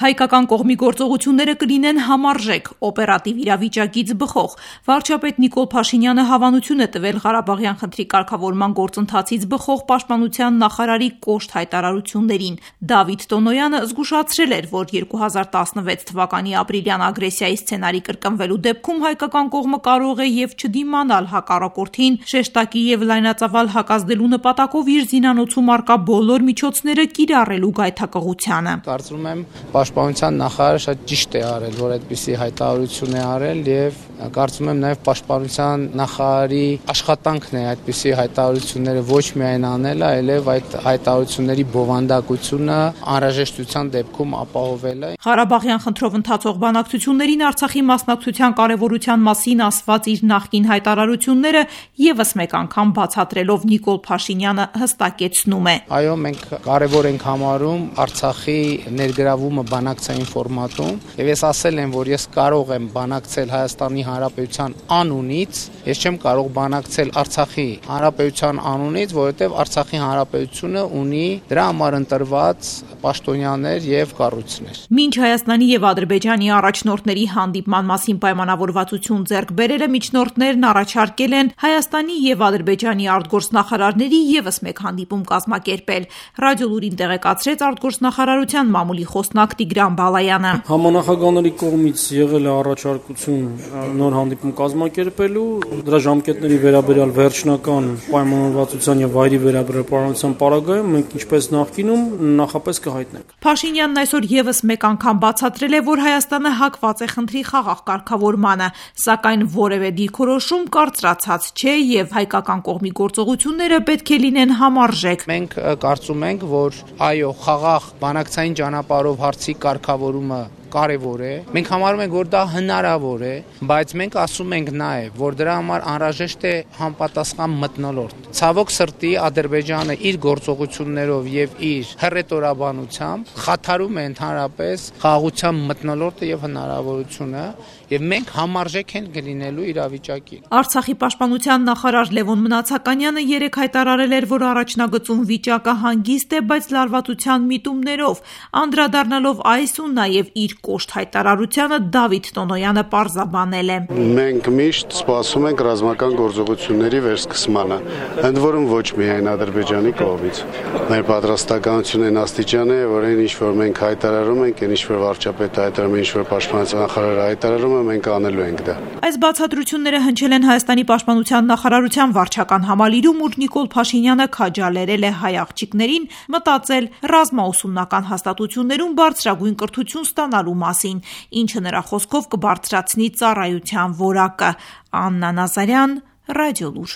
Հայկական կողմի գործողությունները կլինեն համարժեք, օպերատիվ իրավիճակից բխող։ Վարչապետ Նիկոլ Փաշինյանը հավանություն է տվել Ղարաբաղյան խնդրի կարգավորման գործընթացից բխող պաշտպանության նախարարի կոշտ հայտարարություններին։ Դավիթ Տոնոյանը զգուշացրել էր, որ 2016 թվականի ապրիլյան ագրեսիայի սցենարի կրկնվելու դեպքում հայկական կողմը կարող է եւ չդիմանալ հակառակորդին, շեշտակի եւ լայնածավալ հակազդելու նպատակով իր զինանոցում առկա բոլոր միջոցները կիրառելու գայթակղությանը։ Կարծում եմ Պաշտպանության նախարարը շատ ճիշտ է արել, որ այդպիսի հայտարարություն է արել եւ կարծում եմ նաեւ Պաշտպանության նախարարի աշխատանքն է այդպիսի հայտարարությունները ոչ միայն անելը, այլև այդ հայտարարությունների բովանդակությունը անհրաժեշտության դեպքում ապահովելը։ Ղարաբաղյան խնդրով ընթացող բանակցություններին Արցախի մասնակցության կարևորության մասին ասված իր նախկին հայտարարությունները եւս մեկ անգամ բացատրելով Նիկոլ Փաշինյանը հստակեցնում է. Այո, մենք կարևոր ենք համարում Արցախի ներգրավումը բանակցային ֆորմատում եւ ես ասել եմ, որ ես կարող եմ բանակցել Հայաստանի Հանրապետության անունից, ես չեմ կարող բանակցել Արցախի Հանրապետության անունից, որովհետեւ Արցախի Հանրապետությունը ունի դրա համար ընտրված պաշտոնյաներ եւ կառույցներ։ Մինչ Հայաստանի եւ Ադրբեջանի առաջնորդների հանդիպման մասին պայմանավորվածություն ձեռք բերելը միջնորդներն առաջարկել են Հայաստանի եւ Ադրբեջանի արտգործնախարարների եւս մեկ հանդիպում կազմակերպել։ Ռադիոլուրին տեղեկացրեց արտգործնախարարության մամուլի խոսնակ Տիգրան Բալայանը։ Համանախագահների կողմից եղել է առաջարկություն նոր հանդիպում կազմակերպելու, դրա ժամկետների վերաբերյալ վերջնական պայմանավորվածության եւ վայրի վերաբերյալ պարզության պարագայում մենք ինչպես նախկինում նախապես կհայտնենք։ Փաշինյանն այսօր եւս մեկ անգամ բացատրել է, որ Հայաստանը հակված է խնդրի խաղաղ կարգավորմանը, սակայն որևէ դիրքորոշում կարծրացած չէ եւ հայկական կողմի գործողությունները պետք է լինեն համարժեք։ Մենք կարծում ենք, որ այո, խաղաղ բանակցային ճանապարհով հարցի կարգավորումը կարևոր է։ Մենք համարում ենք, որ դա հնարավոր է, բայց մենք ասում ենք նաև, որ դրա համար անհրաժեշտ է համապատասխան մթնոլորտ։ Ցավոք սրտի Ադրբեջանը իր գործողություններով եւ իր հռետորաբանությամբ խաթարում է ընդհանրապես խաղաղության մթնոլորտը եւ հնարավորությունը, եւ մենք համարժեք ենք լինելու իրավիճակին։ Արցախի պաշտպանության նախարար Լևոն Մնացականյանը երեկ հայտարարել էր, որ առաջնագծում վիճակը հանգիստ է, բայց լարվածության միտումներով, անդրադառնալով այս ու նաև իր կոշտ հայտարարությանը Դավիթ Տոնոյանը պարզաբանել է. Մենք միշտ սպասում ենք ռազմական գործողությունների վերսկսմանը, ընդ որում ոչ միայն Ադրբեջանի կողմից։ Մեր պատրաստականությունն այն աստիճան է, որ այն ինչ որ մենք հայտարարում ենք, այն ինչ որ վարչապետը հայտարարում է, ինչ որ պաշտպանության նախարարը հայտարարում է, մենք անելու ենք դա։ Այս բացատրությունները հնչել են Հայաստանի պաշտպանության նախարարության վարչական համալիրում, ուր Նիկոլ Փաշինյանը քաջալերել է հայ աղջիկներին մտածել ռազմաուսումնական հաստատություններում բարձրագույն կրթություն ստանալու մասին, ինչը նրա խոսքով կբարձրացնի ծառայության որակը։ Աննա Նազարյան, Ռադիոլուր։